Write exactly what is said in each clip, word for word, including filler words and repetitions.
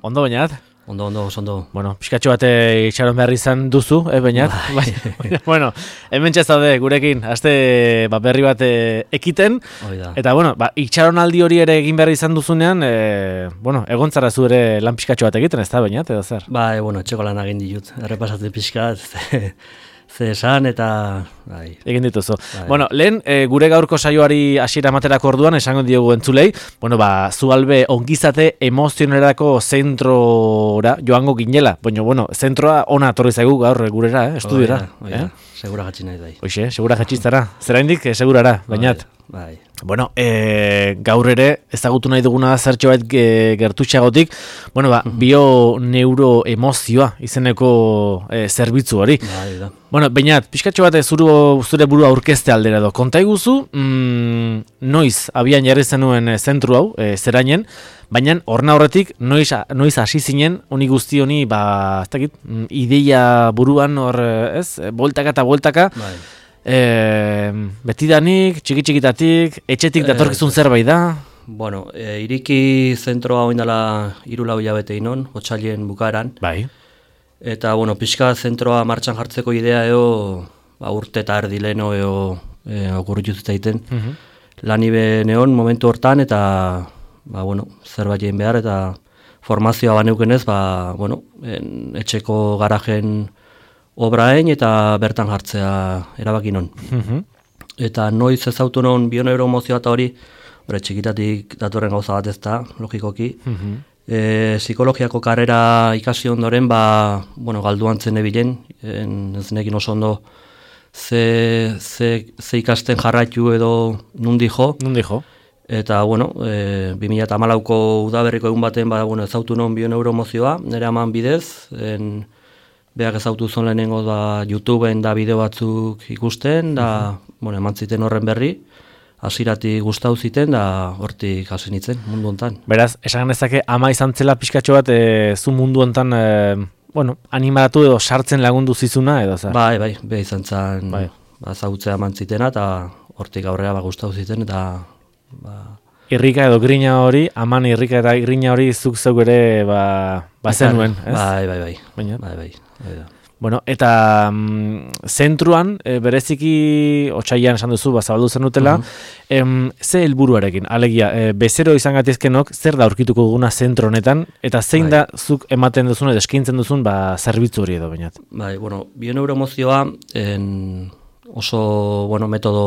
Ondo bainat? Ondo, ondo, ondo. Bueno, pixkatxo bate itxaron behar izan duzu, eh, bainat? Bai. Bueno, hemen txezaude gurekin, aste ba, berri bat e, ekiten. Oida. Eta, bueno, ba, itxaron aldi hori ere egin behar izan duzunean, e, bueno, egontzara zu ere lan pixkatxo bat egiten, ez da, bainat, edo zer? Bai, bueno, etxeko lan egin ditut. Errepasatu pixkat, ze, ze esan eta... Bai. Egin dituzu. Bai. Bueno, lehen, e, gure gaurko saioari hasiera ematerako orduan, esango diogu entzulei, bueno, ba, zualbe ongizate emozionerako zentrora joango ginela. Baina, bueno, zentroa ona etorri zaigu gaur gurera, eh, estudiora. Oida, oida. Eh? Segura jatzi nahi dai. Hoxe, segura jatxiztara. Zera indik, eh, segurara, bainat. Bai. Bueno, e, gaur ere ezagutu nahi duguna zertxo bat e, gertutxagotik, bueno, ba, bio-neuroemozioa izeneko e, zerbitzu hori. Bai, da. Bueno, bainat, pixkatxo bat zuru, zure burua aurkezte aldera edo. Konta iguzu, mm, noiz abian jarri zenuen e, zentru hau, e, zerainen, baina horna horretik noiz, noiz hasi zinen, honi guzti honi, ba, ez dakit, mm, ideia buruan hor, ez, bueltaka eta bueltaka, Bai. E, betidanik, txiki-txikitatik, etxetik datorkizun zerbait da? Bueno, e, iriki zentroa oindala hiru lau hilabete inon, otsailaren bukaeran. Bai. Eta, bueno, pixka zentroa martxan jartzeko idea eo, ba, urte eta erdi leheno eo e, okurritu zitzaiten. Mhm. Lani be neon momentu hortan eta, ba, bueno, zerbait egin behar eta formazioa baneukenez, ba, bueno, en, etxeko garajen obraen eta bertan jartzea erabaki non. Mhm. Eta noiz ezautu non bioneuroemozioa eta hori, hori txikitatik datorren gauza bat ez da, logikoki. Mhm. E, psikologiako karrera ikasi ondoren, ba, bueno, galduan zen ebilen, en, ez nekin oso ondo ze, ze, ze ikasten jarraitu edo nundi jo. Nundi jo. Eta, bueno, e, bi mila hamalauko udaberriko egun baten, ba, bueno, ezautu non bioneuroemozioa, nire aman bidez, en, beak ezautu zon lehenengo da YouTubeen da bideo batzuk ikusten, da, uh-huh. bueno, eman ziten horren berri, hasiratik gustatu ziten, da hortik hasi nintzen mundu hontan. Beraz, esan genezake ama izan zela pixkatxo bat e, zu mundu hontan, e, bueno, animaratu edo sartzen lagundu zizuna edo zer? Bai, bai, be izan zen, bai. Ba, ezagutzea eman zitena, eta hortik aurrera ba, gustatu ziten, eta... Ba, irrika edo grina hori, aman irrika eta grina hori zuk zeuk ere ba, ba zenuen, ez? Bai, bai, bai. Baina? Bai, bai. bai da. Bueno, eta mm, zentruan, e, bereziki otsailean esan duzu, ba, zabaldu zen dutela, uh-huh. em, ze helburuarekin, alegia, e, bezero izan gatizkenok, zer da aurkituko duguna zentro honetan, eta zein bai. da zuk ematen duzun edo eskaintzen duzun ba, zerbitzu hori edo bainat? Bai, bueno, bioneuroemozioa en, oso, bueno, metodo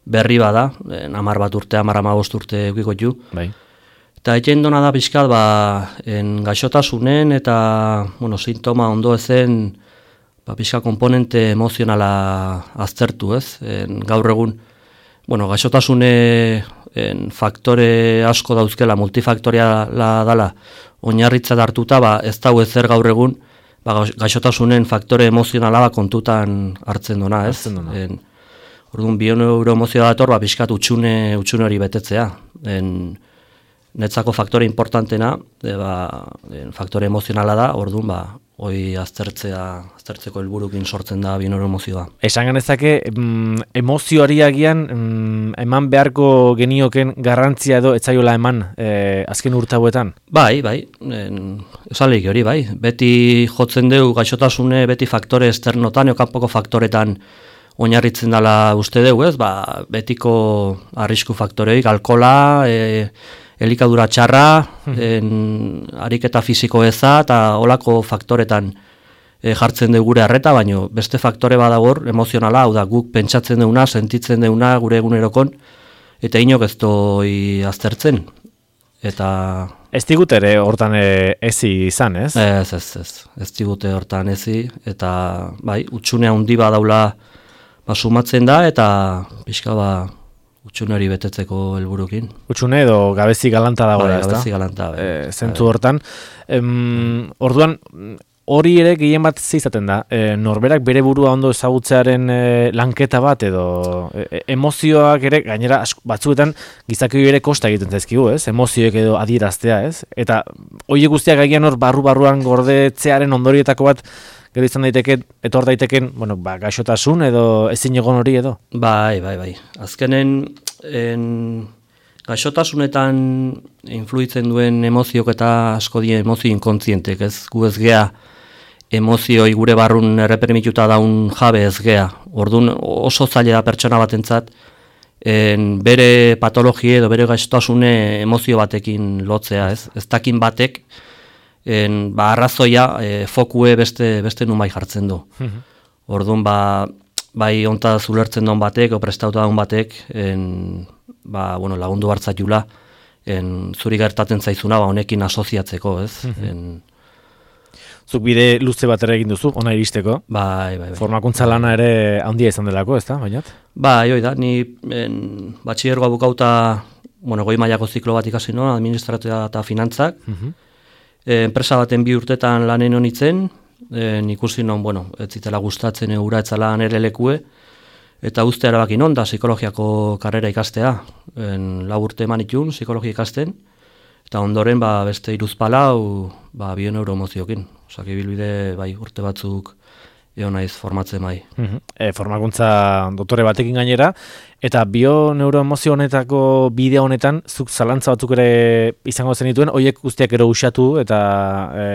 berri bada, hamar bat urte, hamar hamabost urte eukiko ju. Bai. Eta etxen dona da pixkat, ba, en gaixotasunen eta, bueno, sintoma ondo ezen, ba, pixka komponente emozionala aztertu, ez? En, gaur egun, bueno, gaixotasune en, faktore asko dauzkela, multifaktoriala dala, oinarritza hartuta, ba, ez dau ezer gaur egun, ba, gaixotasunen faktore emozionala ba, kontutan hartzen dona, ez? Hartzen dona. En, Orduan, bioneuroemozioa dator, ba, pixkat utxune, utxune hori betetzea. En, netzako faktore importantena, e, ba, en, faktore emozionala da, orduan, ba, hoi aztertzea, aztertzeko helburukin sortzen da bioneuroemozioa. Esan genezake, mm, emozioari agian mm, eman beharko genioken garrantzia edo etzaiola eman e, azken urte hauetan? Bai, bai, en, esan lehik hori, bai. Beti jotzen dugu gaixotasune, beti faktore esternotan, kanpoko faktoretan oinarritzen dela uste dugu, ez? Ba, betiko arrisku faktoreik, alkola, e, elikadura txarra, en, ariketa fisiko eza, eta olako faktoretan e, jartzen dugu gure harreta, baino beste faktore badagor emozionala, hau da, guk pentsatzen duguna, sentitzen duguna gure egunerokon, eta inok ez doi aztertzen. Eta... Ez digut ere hortan e, ezi izan, ez? Ez, ez, ez. Ez digute hortan ezi, eta bai, utxunea handi badaula ba, sumatzen da, eta pixka ba, utxune hori betetzeko helburukin. Utxune edo gabezi galanta dagoela, bai, ez da? Gabezi galanta, bai. E, zentzu hortan. Em, orduan, hori ere gehien bat izaten da, e, norberak bere burua ondo ezagutzearen e, lanketa bat edo e, emozioak ere, gainera asko, batzuetan gizakio ere kosta egiten zaizkigu, ez? Emozioek edo adieraztea, ez? Eta horiek guztiak agian hor barru-barruan gordetzearen ondorietako bat gero izan daiteke, etor daiteken, bueno, ba, gaixotasun edo ezin egon hori edo. Bai, bai, bai. Azkenen, en, gaixotasunetan influitzen duen emoziok eta asko die emozio inkontzientek, ez gu ez gea emozioi gure barrun errepermituta daun jabe ez gea. Orduan oso zaila da pertsona batentzat en, bere patologie edo bere gaixotasune emozio batekin lotzea, ez? Ez dakin batek en, ba, arrazoia e, fokue beste, beste numai jartzen du. Orduan ba, bai onta zulertzen duen batek, o prestauta duen batek, en, ba, bueno, lagundu hartzatula, en, zuri gertatzen zaizuna, ba, honekin asoziatzeko, ez? En, Zuk bide luze bat ere egin duzu, ona iristeko. Bai, bai, bai. Formakuntza lana ere handia izan delako, ez da, bainat? Bai, hoi da, ni en, batxillergoa bukauta, bueno, goi mailako ziklo bat ikasi nuen, administrazioa eta finantzak, uh-huh. e, enpresa baten bi urtetan lanen honitzen, e, ikusi non, bueno, ez zitela gustatzen eura etzala nere lekue, eta uste erabaki non da psikologiako karrera ikastea. En, lau urte eman itun, psikologia ikasten, eta ondoren ba, beste iruzpalau ba, bioneuroemoziokin. Osak, ibilbide bai, urte batzuk egon naiz formatzen bai. Uh-huh. e, formakuntza doktore batekin gainera, eta bioneuroemozio honetako bidea honetan, zuk zalantza batzuk ere izango zenituen, horiek guztiak ere usatu, eta e,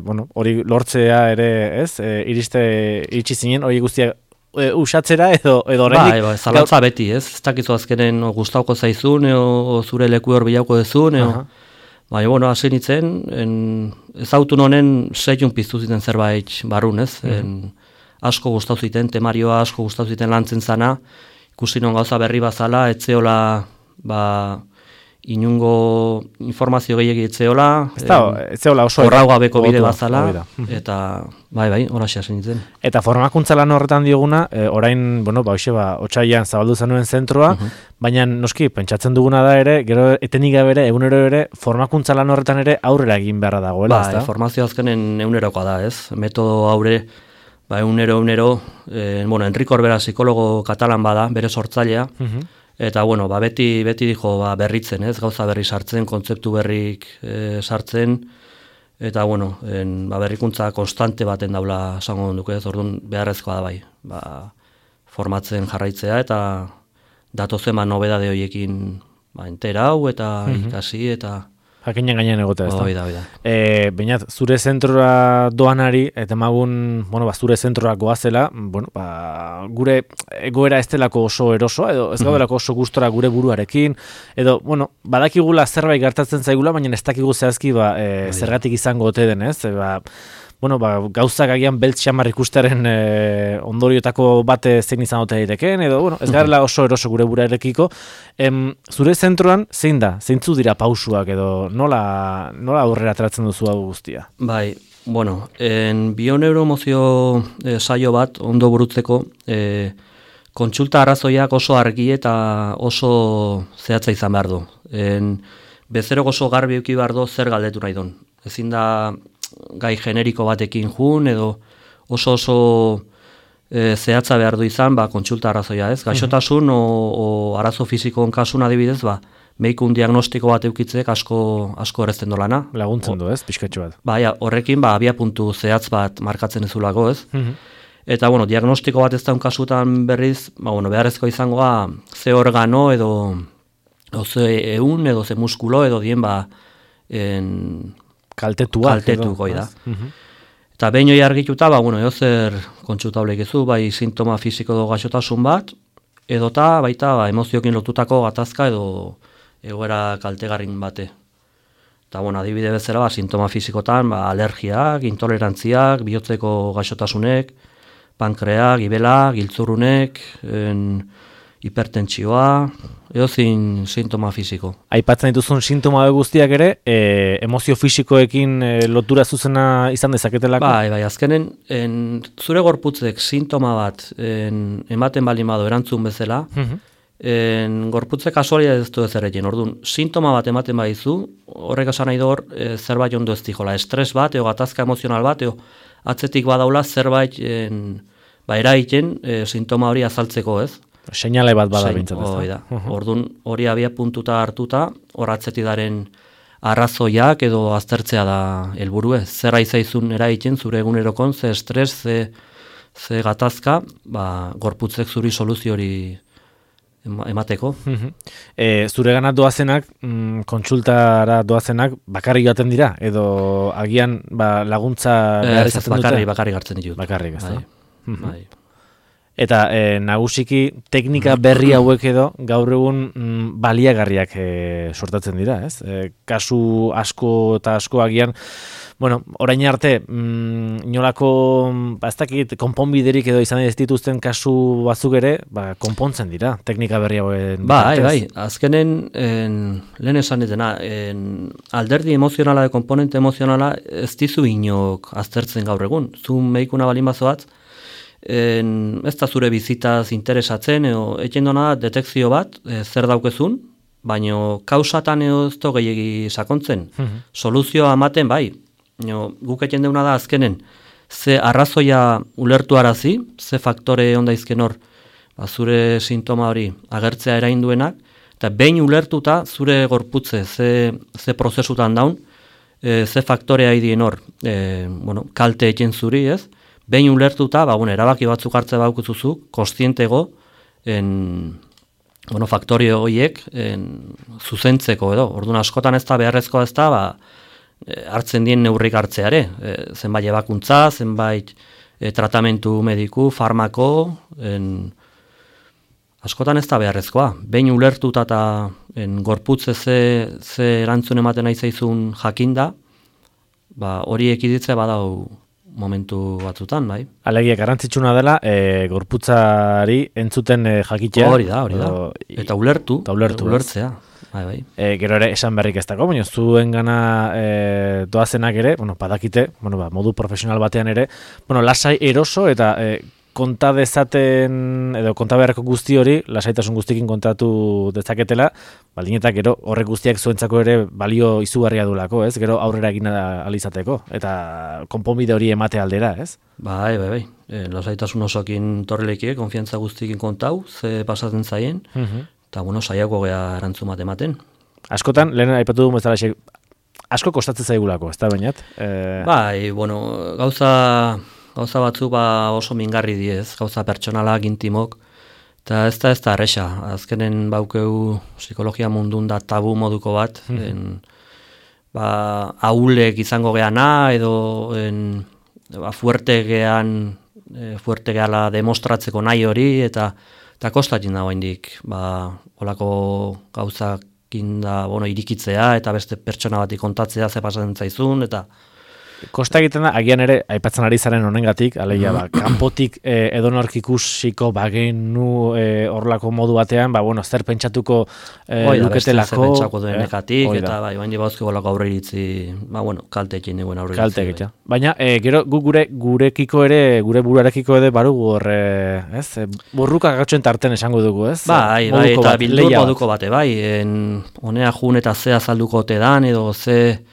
bueno, hori lortzea ere, ez, e, iriste, iritsi zinen, horiek guztiak e, usatzera, edo, edo horrendik. Bai, bai, zalantza gaur... beti, ez, ez dakizu azkenen o, gustauko zaizun, o zure leku hor bilauko dezun, o... Uh-huh. Bai, bueno, hasi nintzen, ezautu honen seiun piztu ziten zerbait barrun, ez? Mm-hmm. En, asko gustau ziten, temarioa asko gustau ziten lantzen zana, ikusi non gauza berri bazala, etzeola, ba, inungo informazio gehiagi etzeola, etzeola oso horrau gabeko bide bazala, eta bai, bai, horaxe hasi nintzen. Eta formakuntza lan horretan dioguna, e, orain, bueno, ba, hoxe, ba, otsailean zabaldu zenuen zentroa, uh-huh. baina noski, pentsatzen duguna da ere, gero etenik gabe ere, egunero ere, formakuntza lan horretan ere aurrera egin beharra dagoela, ba, ez da? Formazio azkenen egunerokoa da, ez? Metodo aurre, ba, egunero, egunero, eh, bueno, Enrico Orbera psikologo katalan bada, bere sortzailea, uh-huh. Eta, bueno, ba, beti, beti dijo ba, berritzen, ez, gauza berri sartzen, kontzeptu berrik e, sartzen, eta, bueno, en, ba, berrikuntza konstante baten daula esango duke, ez, orduan beharrezkoa da bai, ba, formatzen jarraitzea, eta datozen ba, nobedade horiekin ba, entera hau, eta mm-hmm. ikasi, eta... Jakinen gainean egotea, ez da? Oida, oida. E, Bainat, zure zentrora doanari, eta magun, bueno, ba, zure zentrora goazela, bueno, ba, gure egoera ez delako oso erosoa, edo ez gaudelako oso gustora gure buruarekin, edo, bueno, badakigula zerbait gertatzen zaigula, baina ez dakigu zehazki, ba, e, zergatik izango ote denez, e, ba, bueno, ba, gauzak agian beltz xamar ikustaren e, ondorioetako bate zein izan ote daiteken, edo, bueno, ez garela oso eroso gure burarekiko. Em, zure zentroan, zein da? Zeintzu dira pausuak, edo nola, nola aurrera ateratzen duzu hau guztia? Bai, bueno, en bioneuroemozio e, saio bat, ondo burutzeko, e, kontsulta arrazoiak oso argi eta oso zehatza izan behar du. En, bezero oso garbi euki behar du zer galdetu nahi duen. Ezin da gai generiko batekin jun, edo oso oso e, zehatza behar du izan, ba, kontsulta arrazoia, ez? Gaixotasun o, o arazo fizikoen kasun adibidez, ba, meikun diagnostiko bat eukitzek asko asko errezten dolana. Laguntzen du, ez? Pixkatxo bat. Ba, ja, horrekin, ba, abia puntu zehatz bat markatzen ezulako, ez? Eta, bueno, diagnostiko bat ez daun kasutan berriz, ba, bueno, beharrezko izangoa ze organo edo, edo ze eun, edo ze muskulo, edo dien, ba, en... Kaltetua. Kaltetu goi da. Uh-huh. Eta behin hori argituta, ba, bueno, eozer kontsultableik ezu, bai sintoma fisiko edo gaixotasun bat, edota baita ba, emoziokin lotutako gatazka edo egoera kaltegarrin bate. Eta, bueno, adibide bezala, ba, sintoma fisikotan, ba, alergiak, intolerantziak, bihotzeko gaixotasunek, pankreak, gibela, giltzurrunek, en, hipertentsioa, edozin sintoma fisiko. Aipatzen dituzun sintoma guztiak ere, e, emozio fisikoekin e, lotura zuzena izan dezaketelako? Bai, bai, azkenen, en, zure gorputzek sintoma bat en, ematen baldin badu erantzun bezala, uh-huh. en, gorputzek kasualia ez du ez erreien. Orduan, sintoma bat ematen badizu, horrek esan nahi dor, e, zerbait ondo ez dijola, estres bat, eo gatazka emozional bat, eo atzetik badaula zerbait en, ba, eraiten e, sintoma hori azaltzeko, ez? Seinale bat bada bintzat ez da. Uh-huh. Orduan, hori abia puntuta hartuta, horatzetidaren arrazoiak edo aztertzea da helburue. Zer aizaizun eraiten zure egunerokon, ze estres, ze, ze gatazka, ba, gorputzek zuri soluzio hori emateko. E, zure gana doazenak, mm, kontsultara doazenak, bakarrik joaten dira? Edo agian ba, laguntza behar Ez, izaten dute? bakarrik, bakarrik hartzen ditut. Bakarrik, ez da? Bai, bai. Eta e, nagusiki teknika berri hauek edo gaur egun mm, baliagarriak e, sortatzen dira, ez? E, kasu asko eta asko agian, bueno, orain arte mm, inolako, ba, ez dakit, konponbiderik edo izan ez dituzten kasu batzuk ere, ba, konpontzen dira, teknika berri hauen. Bai, bai, azkenen, en, lehen esan dena, en, alderdi emozionala, komponente emozionala, ez dizu inok aztertzen gaur egun. Zu medikuna balin bazoat, En, ez da zure bizitaz interesatzen, edo etxen dona detekzio bat, e, zer daukezun, baino kausatan edo ez da gehiagi sakontzen. Mhm. Soluzioa ematen, bai, no, guk etxen deuna da azkenen, ze arrazoia ulertu arazi, ze faktore ondaizken hor, ba, zure sintoma hori agertzea erainduenak, eta behin ulertuta zure gorputze, ze, ze prozesutan daun, e, ze faktorea idien hor, e, bueno, kalte etxen zuri, ez? Behin ulertuta, ba, bueno, erabaki batzuk hartze baukutuzu, kostientego, en, bueno, faktorio horiek en, zuzentzeko edo. Orduan askotan ez da, beharrezkoa ez da, ba, hartzen dien neurrik hartzeare. E, zenbait ebakuntza, zenbait e, tratamentu mediku, farmako, en, askotan ez da beharrezkoa. Behin ulertuta eta en, gorputze ze, ze erantzun ematen nahi zaizun jakinda, ba, hori ekiditzea badau momentu batzutan, bai. Alegia, garrantzitsuna dela, e, gorputzari entzuten e, jakitea. Hori da, hori da. O, eta ulertu, eta ulertu, ulertzea. Bai, bai. E, gero ere esan berrik ez dago, baina zuen gana e, doazenak ere, bueno, badakite, bueno, ba, modu profesional batean ere, bueno, lasai eroso eta e, konta dezaten, edo konta beharreko guzti hori, lasaitasun guztikin kontatu dezaketela, baldin eta gero horrek guztiak zuentzako ere balio izugarria dulako, ez? Gero aurrera egin alizateko, eta konponbide hori emate aldera, ez? Bai, bai, bai. E, lasaitasun osokin torrelekie, konfiantza guztikin kontau, ze pasatzen zaien, eta, uh -huh. bueno, saiako gea erantzun bat ematen. Askotan, lehen aipatu dugu bezala, asko kostatzen zaigulako, ez da bainat? E... Bai, bueno, gauza... Gauza batzu ba oso mingarri diez, gauza pertsonalak, intimok, eta ez da ez da arresa. Azkenen baukeu psikologia mundun da tabu moduko bat, mm. en, ba, ahulek izango geana, edo en, ba, fuerte gean, e, fuerte gehala demostratzeko nahi hori, eta eta kostatzen da oraindik, ba, olako gauzakin da, bueno, irikitzea, eta beste pertsona bati kontatzea ze pasatzen zaizun, eta kosta egiten da, agian ere, aipatzen ari zaren honengatik, alegia, ba, kanpotik e, edonork ikusiko bagenu e, horlako modu batean, ba, bueno, zer pentsatuko e, Oida, luketelako. Zer pentsako duenekatik, eh? Eta bai, baina bauzko golako aurre iritzi, ba, bueno, kalte ekin eguen aurre iritzi. Kalte egitea. Baina, e, gero, gu gure, gurekiko ere, gure buruarekiko ere, barugu horre, ez? E, burruka gatzen tarten esango dugu, ez? Bai, bai, eta bildur moduko bate, bai, en, honea jun eta ze azalduko te dan, edo ze...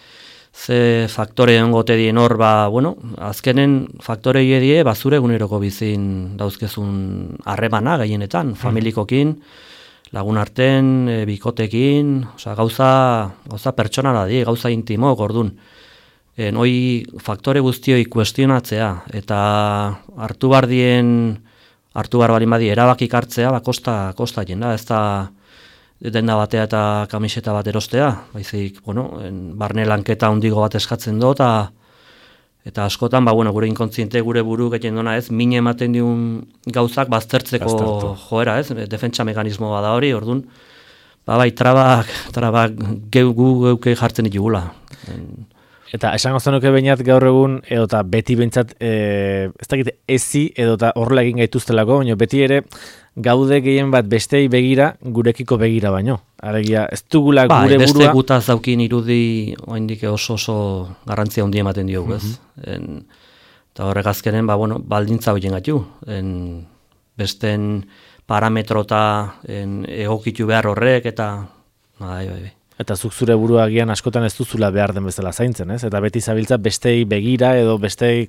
ze faktore ongote dien hor, ba, bueno, azkenen faktore hiedie, ba, zure eguneroko bizin dauzkezun harremana gehienetan, familikokin, lagun arten, e, bikotekin, osea, gauza, gauza pertsonala di, gauza intimok, ordun. En, hoi faktore guztioi kuestionatzea, eta hartu bar dien, hartu bar balin badi, erabakik hartzea, ba, kosta, kosta jenda, ez da, denda batea eta kamiseta bat erostea, baizik, bueno, en, barne lanketa hundigo bat eskatzen do, eta eta askotan, ba, bueno, gure inkontziente, gure buru getien dona ez, mine ematen diun gauzak baztertzeko Baztertu. joera, ez, defentsa mekanismo bada hori, orduan, ba, bai, trabak, trabak geu gu geuke jartzen ditugula. En, Eta esango zenuke bainat gaur egun, edo eta beti behintzat, e, ez dakit ezi, edo eta horrela egin gaituztelako, baina beti ere gaude gehien bat bestei begira, gurekiko begira baino. Alegia, ez dugula ba, gure beste burua... gutaz daukin irudi, oraindik oso oso garrantzia handia ematen diogu, ez? Mm-hmm. En, eta horrek azkenen, ba, bueno, baldintza horien gatu. En, besten parametro eta egokitu behar horrek, eta... Bai, bai, bai. Eta zuk zure burua agian askotan ez duzula behar den bezala zaintzen, ez? Eta beti zabiltza bestei begira edo bestei,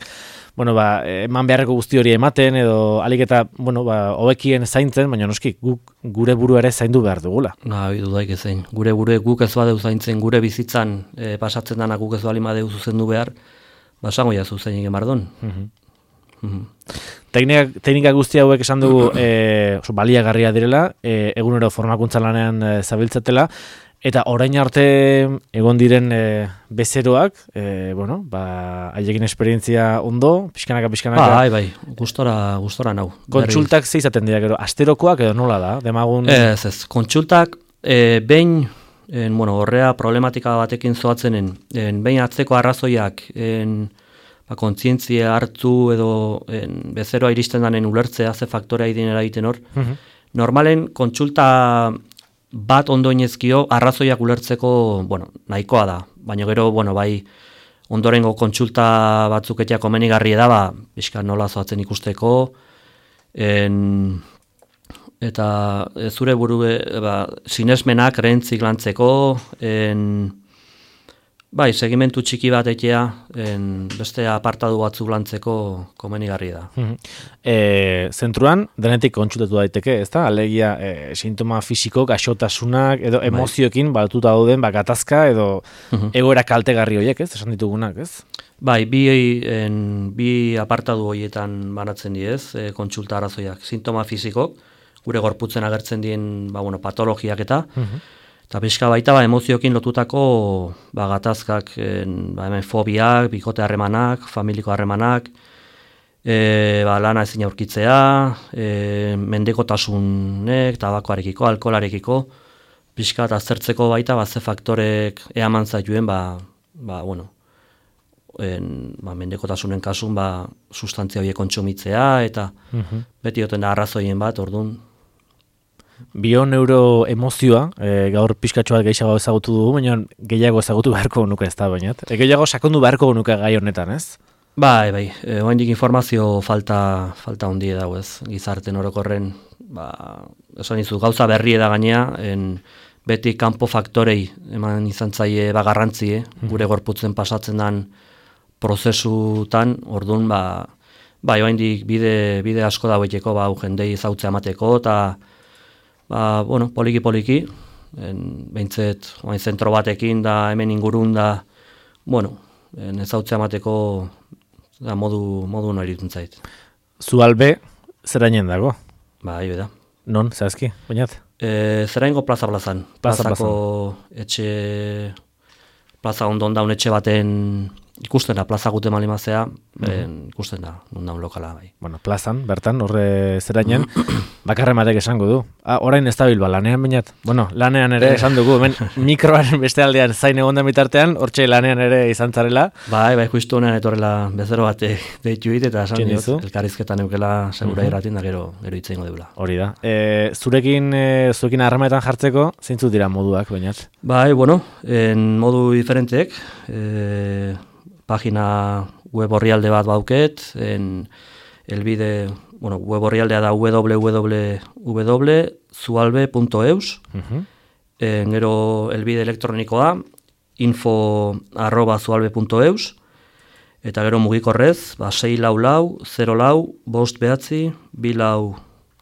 bueno, ba, eman beharreko guzti hori ematen edo alik eta, bueno, ba, hobekien zaintzen, baina noski guk gure burua ere zaindu behar dugula. Na, dudaik ezein. Gure buru guk ez badeu zaintzen, gure bizitzan e, pasatzen dana guk ez bali madeu zuzendu behar, basango ja zuzen egin bardon. Mm-hmm. Mm-hmm. teknika, teknika guzti hauek esan dugu e, oso baliagarria direla, e, egunero formakuntza lanean e, zabiltzatela, eta orain arte egon diren e, bezeroak, e, bueno, ba, haiekin esperientzia ondo, pixkanaka, pixkanaka. Bai, bai, gustora, gustora nau. Kontsultak ze izaten dira, gero, asterokoak edo nola da, demagun? Ez, ez, kontsultak, e, behin, en, bueno, horrea problematika batekin zoatzenen, en, behin atzeko arrazoiak, en, ba, kontzientzia hartu edo en, bezeroa iristen danen ulertzea, ze faktorea idin eragiten hor, uh-huh. Normalen kontsulta bat ondoinezkio arrazoiak ulertzeko, bueno, nahikoa da, baina gero, bueno, bai, ondorengo kontsulta batzuketia komenigarri da, ba, pixka nola zoatzen ikusteko, en, eta zure buru, ba, sinesmenak rentzik lantzeko, en, bai, segimentu txiki bat etea, en, beste apartadu batzuk lantzeko komenigarri da. E, zentruan, denetik kontsultatu daiteke, ez da? Alegia, e, sintoma fisiko, gaixotasunak, edo emozioekin batuta dauden, ba, gatazka, edo egoera kaltegarri horiek, ez? Esan ditugunak, ez? Bai, bi, en, bi apartadu horietan banatzen di, ez? E, kontsulta arazoiak, sintoma fisiko, gure gorputzen agertzen dien, ba, bueno, patologiak eta, eta pixka baita ba, emozioekin lotutako ba, gatazkak, en, ba, hemen fobiak, bikote harremanak, familiko harremanak, e, ba, lana ezin aurkitzea, e, mendekotasunek, tabakoarekiko, alkoholarekiko, pixka eta aztertzeko baita, ba, ze faktorek eaman zaituen, ba, ba, bueno, en, ba, mendekotasunen kasun, ba, sustantzia horiek kontsumitzea, eta uh-huh. beti oten da arrazoien bat, orduan, Bio-neuro emozioa, e, gaur pixkatxo bat gehiago ezagutu dugu, baina gehiago ezagutu beharko nuke ez da, baina. E, gehiago sakondu beharko nuke gai honetan, ez? Bai, bai, e, oaindik informazio falta falta hondie dago, ez? Gizarten orokorren, ba, esan izu, gauza berri da gainea, en, beti kanpo faktorei eman izan zaie ba, garrantzie, gure gorputzen pasatzen den prozesutan, orduan, ba, bai, oaindik bide, bide asko daueteko, ba, jendei zautzea emateko, eta Ba, bueno, poliki-poliki, behintzet, oain zentro batekin da, hemen ingurun da, bueno, ezautzea emateko da, modu, modu no eritun zait. Zualbe, zerainen dago? Ba, hio da. Non, zehazki, bainat? E, zeraingo plaza-plazan. Plaza Plazako etxe, plaza ondon daun etxe baten ikusten da, plaza gute malimazea, mm. ikusten da, non daun lokala bai. Bueno, plazan, bertan, horre zerainen, bakarren batek esango du. Ah, orain ez da bilba, lanean bainat. Bueno, lanean ere esan dugu, hemen mikroaren beste aldean zain egon den bitartean, hortxe lanean ere izan zarela. Bai, bai, justu honean etorrela bezero bat deitu hit, eta esan diot, elkarrizketan eukela segura uh-huh. irratin da gero, gero itzen godebula. Hori da. E, zurekin, e, zurekin harremanetan jartzeko, zeintzuk dira moduak, bainat? Bai, bueno, en modu diferentek, e, pagina web orrialde bat bauket, en elbide, bueno, web orrialdea da w w w punto zualbe punto e u s, uh-huh. en gero elbide elektronikoa info arroba zualbe punto e u s, eta gero mugikorrez, ba, sei lau lau, zero lau, bost behatzi, bi lau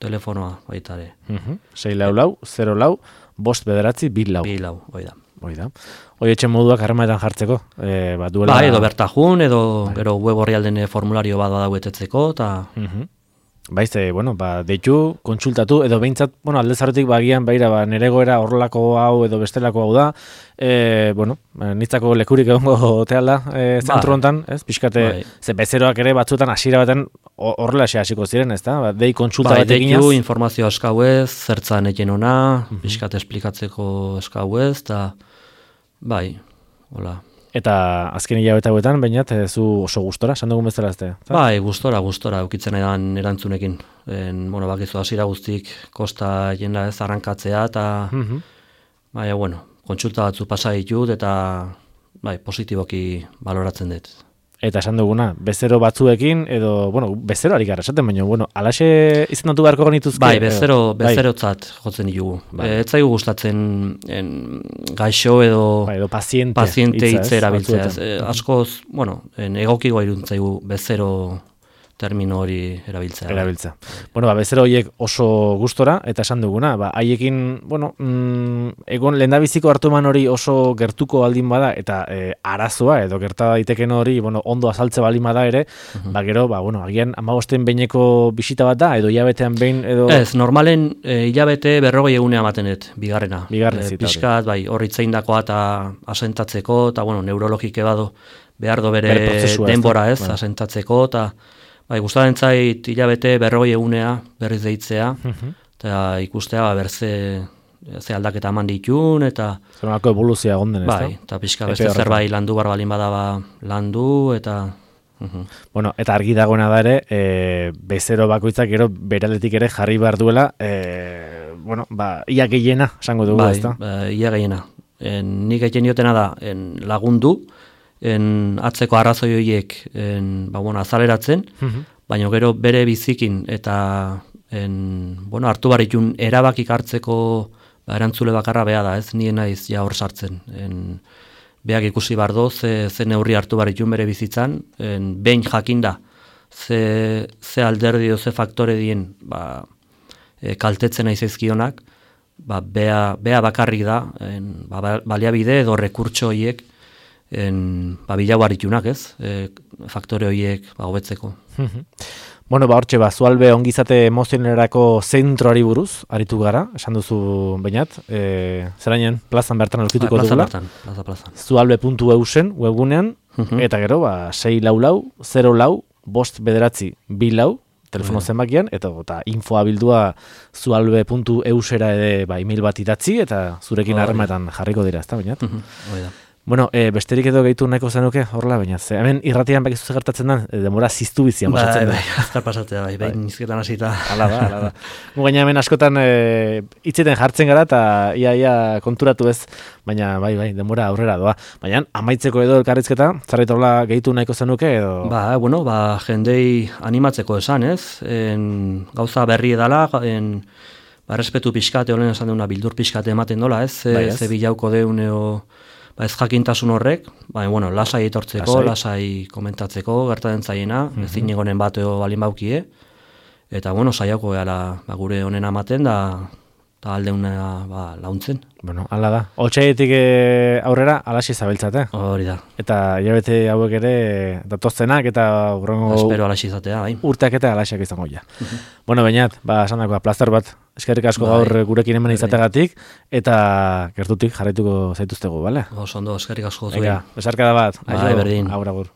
telefonoa baitare. Uh-huh. sei lau lau, zero lau, bost bederatzi, bi lau. Bi lau, hoi da. Hoi da. Hoi etxe moduak harremanetan jartzeko. E, ba, duela... Ba, edo bertajun, edo bai. Gero web orrialden formulario bat badauetetzeko, eta... Uh-huh. Baiz, e, bueno, ba, deitu, kontsultatu, edo behintzat, bueno, alde zaretik bagian, baira, ba, nere goera horrelako hau edo bestelako hau da, e, bueno, nitzako lekurik egongo teala e, zentru hontan, ez? Pixkate, bai. Ze bezeroak ere batzuetan hasiera baten horrela xe hasiko ziren, ez da? Ba, dei kontsulta bai, batek inaz. Deitu, informazio eskauez, zertzan eken ona, uh-huh. Pixkate esplikatzeko eskauez, eta bai, hola. Eta azken hilabete hauetan, bainat, zu oso gustora, esan dugun bezala ezte? Bai, gustora, gustora, ukitzen edan erantzunekin. En, bueno, bakizu hasiera guztik kosta jenda ez arrankatzea, eta uh-huh. bai, bueno, kontsulta batzu pasa ditut, eta bai, positiboki baloratzen dut. Eta esan duguna, bezero batzuekin, edo, bueno, bezero harik gara esaten, baina, bueno, alaxe izendatu beharko genituzke? Bai, bezero, bezerotzat jotzen ditugu. Bai. E, ez zaigu gustatzen en, gaixo edo, bai, edo paziente, paziente hitz erabiltzea. E, askoz, bueno, en, egokigoa iruntzaigu bezero termino hori erabiltzea. Erabiltza. Bueno, ba, bezero horiek oso gustora, eta esan duguna, ba, haiekin, bueno, mm, egon lehendabiziko hartuman hori oso gertuko baldin bada, eta e, arazoa, edo gerta daiteken hori, bueno, ondo azaltze baldin bada ere, uh-huh. ba, gero, ba, bueno, agian hamabosten behineko bisita bat da, edo hilabetean behin, edo... Ez, normalen e, hilabete berrogei egunea ematen dut, bigarrena. Bigarren e, zita. Piskat, bai, horritzein-dakoa eta asentatzeko, eta, bueno, neurologike bado, behar do bere, bere denbora ez, bai. Asentatzeko, eta... Bai, gustaren zait hilabete berrogei egunea berriz deitzea, uh-huh. eta ikustea ba, berze ze aldaketa eman ditun, eta... Zerako evoluzioa gonden, ez da? Bai, eta pixka beste zerbait landu bar balin badaba landu, eta... Uh-huh. Bueno, eta argi dagoena da ere, e, bezero bakoitzak gero beraletik ere jarri behar duela, e, bueno, ba, ia gehiena, esango dugu, bai, ez da? Bai, ia gehiena. En, nik egiten diotena da, en, lagundu, en atzeko arrazoi horiek en, ba, bueno, azaleratzen, uh-huh. baina gero bere bizikin eta en, bueno, hartu baritun erabakik hartzeko ba, erantzule bakarra beha da, ez nien naiz ja hor sartzen. En, beak ikusi bardo, ze, ze neurri hartu baritun bere bizitzan, en, behin jakinda, ze, ze alderdi o ze faktore dien ba, e, kaltetzen aizaizkionak, ba, bea, bea bakarrik da, en, ba, baliabide edo rekurtso horiek, en ba bilau aritunak, ez? E, faktore horiek ba hobetzeko. Bueno, ba hortxe ba Zualbe ongizate emozionerako zentroari buruz aritu gara, esan duzu Beñat, eh zerainen plazan bertan aurkituko ba, plaza dugula. Bertan, plaza plazan. zualbe puntu e u zen webgunean uh-huh. eta gero ba sei lau lau zero lau bost bederatzi bi lau telefono zenbakian, eta, eta infoa bildua zualbe puntu e u zera ere ba email bat idatzi eta zurekin harremanetan jarriko dira, ezta Beñat? Uh-huh. Hori da. Bueno, e, besterik edo gehitu nahiko zenuke, horrela baina. Ze, hemen irratian bakizu ze gertatzen da, e, demora ziztu bizian pasatzen da. Bai, bai, azkar pasatzea, bai, behin izketan hasita. Hala da, hala da. Gu gaina hemen askotan e, hitzeten jartzen gara, eta ia, ia konturatu ez, baina bai, bai, demora aurrera doa. Baina amaitzeko edo elkarrizketa, zarret horrela gehitu nahiko zenuke edo... Ba, bueno, ba, jendei animatzeko esan, ez? En, gauza berri edala, en, ba, respetu pixkate, olen esan deuna, bildur pixkate ematen dola, ez? Ze, bai, ez? Ze bilauko deuneo... Ba ez jakintasun horrek, ba, bueno, lasai etortzeko, lasai, lasai komentatzeko, gertatzen zaiena, mm-hmm. ezin egonen bateo balin baukie, eta, bueno, saiako gara ba, gure honena ematen, da, da aldeuna ba, launtzen. Bueno, hala da. Otsaietik aurrera, alaxi zabiltzate. Hori da. Eta hilabete hauek ere datoztenak, eta urrengo... Espero alaxi izatea, bai. Urteak eta alaxiak izango ja. Mm-hmm. Bueno, Beñat, ba, esan dagoa, plazer bat. Eskerrik asko bai, gaur gurekin hemen izategatik, eta gertutik jarraituko zaituztegu, bale? Oso ondo, eskerrik asko zuen. Besarkada bat. Bai, berdin. Agur, agur.